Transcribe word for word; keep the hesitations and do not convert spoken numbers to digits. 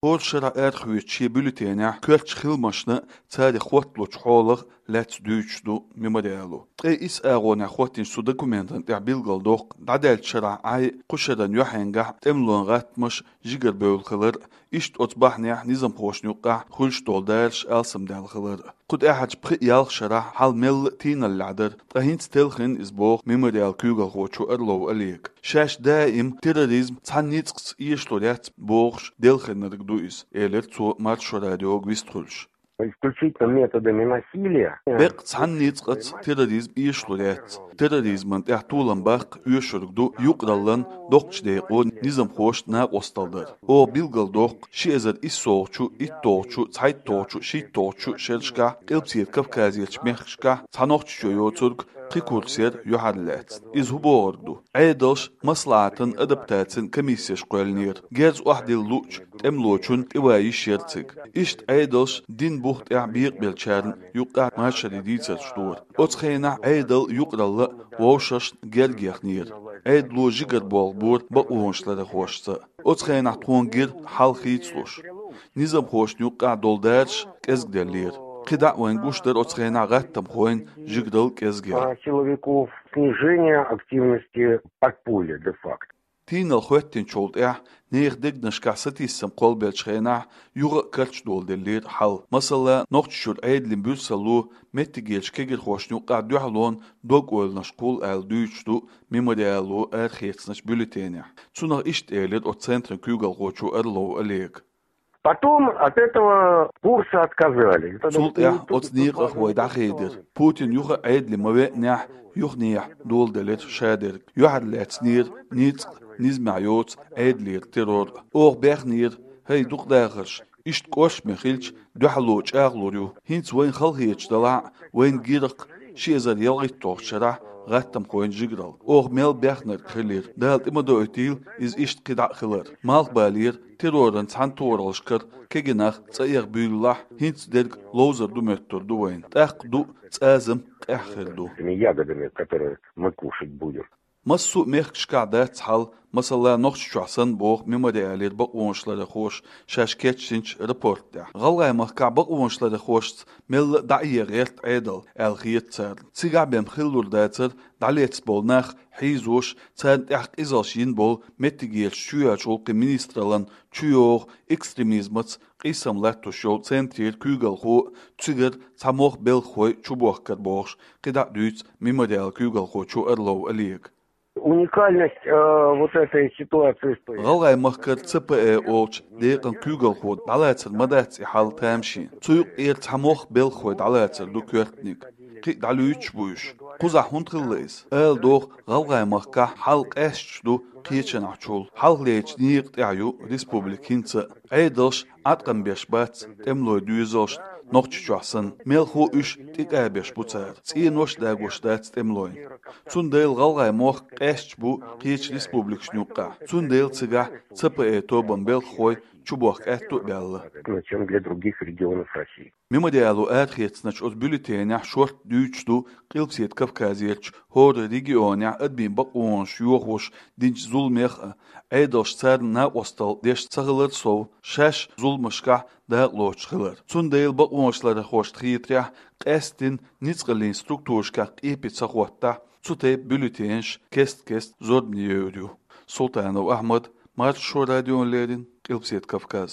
ХӀора шарахь арахоьцучу шен бюллетенехь коьртачу хиламашна, царех хотталучу хьолах лаьцна дуьйцуш ду Мемориало. Ткъе исс агӀонехь хӀоттийначу цу документана тӀехь билгалдоккху дӀадаьллачу шарахь Ӏай, кху шеран юьхьенгахь тӀемалойн гӀаттамаш жигарабевлла хилар а, иштта оцу бахьанехь низамхошна юккъехь хуьлуш долу дараш алсамдаьлла хилар а. Кху тӀаьхьарчу пхи-ялх шарахь хьал мелла а тийналлехь дара, ткъа хӀинца телхина иза, боху Мемориалан куьйгалхочо Орлов Олега. Шаьш даим терроризм цхьана ницкъаца эшалур яц бохуш делхинарг ду иза, элира цо Маршо радиога вистхуьлуш. Исключительно методами насилия. Беккъа цхьана ницкъаца терроризм эшалур яц. Терроризмана тӀехь толам баккха оьшург ду юкъараллин доккхачу декъо низамхошна накъосталла дар. Оха билгалдоккху, ши эзар иссолгӀачу, иттолгӀачу, цхьайттолгӀачу, шийттолгӀачу шерашкахь Къилбаседа Кавказерчу мехкашкахь цхьа нохчочо йоцург кхин курс яра юьхьарлаьцна. Иза хӀун бохург ду? Ӏедалша маслахьатан, адаптацин комиссеш кхоьллинера, герз охьадилла луучу тӀемалочунна тӀеван йиш яра цига. Иштта Ӏедалша динан бух тӀехь бекъабеллачарна юккъехь машаре дийцарш дора. Оцу хенахь Ӏедал юкъаралла а вовшашна герга яхнера. Ӏедало жигара болх бора бакъонашларъярхошца. Оцу хенахь тхуна гира хьал хийцалуш. Низамхошна юккъехь долу дараш кӀезгделлера. КхидӀа а вайна гуш дара оцу хенахь гӀаттамхойн жигаралла кӀезгал. А, силовиков, снижение активности подполья, де-факто. Тийналла хӀоьттинчул тӀаьхьа нехан дегнашкахь сатийсам кхоллабеллачу хенахь юха а карчадоладеллера хьал. Масала, Нохчийчуьра Ӏедалан буьрсалло меттигерчу кегирхошна юккъехь дуьхьалонан дог-ойланаш кхуллу аьлла дуьйцуш ду Мемориало арахецначу бюллетенехь. Цунах иштта элира оцу центран куьйгалхочо Орлов Олега. Потом от этого курса отказались. Цул тӀаьхьа оцу некъах вай дӀахедира. Путин юха а Ӏедале ма веанехь, юханехьа доладелира шадерг. Юьхьарлаьцнера ницкъ, низамехь йоцу Ӏедалера террор. Оха бехнера, хӀай дукха дахарш, иштта кӀоршаме хилча, дуьхьало чӀагӀлур ю. ХӀинца вайна халахеташ далахь а, вайна гира-кх ши эзар ялхитталгӀачу шарахь гӀаттамхойн жигаралла. Оха мел бехнарг хилира. Дала тӀе ма доуьйтийла иза иштта кхидӀа а хилар. Малхбалера, терроран цхьана тохараллашкара кегий нах цӀа эха буьйлалахь, хӀинца дерг ловзар ду моьттур ду вайна. ТӀаккха ду, цӀазам къаьхьа хир ду. Этими ягодами, которые мы кушать будем. Массо а мехкашкахь дац хьал, масала, Нохчийчохь санна, боху Мемориалера бакъонашларъярхоша шаьш кечдинчу рапорт тӀехь. ГӀалгӀай махкахь бакъонашларъярхошца мелла а дӀаэха гӀерта Ӏедал аьлла хета царна. Цигахь бен хиллур дацара дӀалецна болу нах хьийзош, царна тӀехь къизалш йина болу меттигерчу чоьхьарчу гӀуллакхийн министраллан чуйогӀу экстремизмаца къийсам латтош йолу центрера куьйгалхо а, цигара цхьа мох белхахой чубохкар бохуш, кхидӀа а дуьйцу Мемориалан куьйгалхочо Орлов Олега. Уникальность, э, вот этой ситуации стоит. ГӀалгӀай махкара Ц П Э олучу декъан куьйгалхо дӀалацар ма дац и хьал тамашийна. Цу юкъера цхьа мох белхахой дӀалацар ду коьртаниг. Кхин а дӀалуьйцуш бу уьш. Кхузахь хӀунда хилла иза? Ала догӀу, ГӀалгӀай махкахь хьал къаьсташ ду кхечанхьчул. Хьалхалерчу некъа тӀехь ю республика хӀинца а. Ӏедалш Ӏаткъам беш бац тӀемалойн доьзалшна, Нохчийчохь санна. Мелхо уьш тӀекъабеш бу цара. ЦӀенош а дагош дац тӀемалойн. Цундела ГӀалгӀай мохк къаьсташ бу кхечу республикашна юккъехь. Цундела цигахь Ц П Э тобан белхахой чубохка аьтто а баьлла. Чем для других регионов России. Мемориало арахецначу оцу бюллетенехь шортта дуьйцуш ду Къилбаседа Кавказерчу хӀора регионехь адамийн бакъонаш йохош динчу зуламех а, Ӏедалша царна накъосталла деш цахилар сов, шаьш зуламашкахь дакъалоцуш хилар. Цундела бакъонашларъярхошна хетарехь, къаьсттина ницкъаллин структурашкахь къепе ца хӀоттахь, цу тайпа бюллетенаш кест-кеста зорбане йойур ю. Султанов Ахьмад, Маршо радиона леррина, Къилбаседа Кавказ.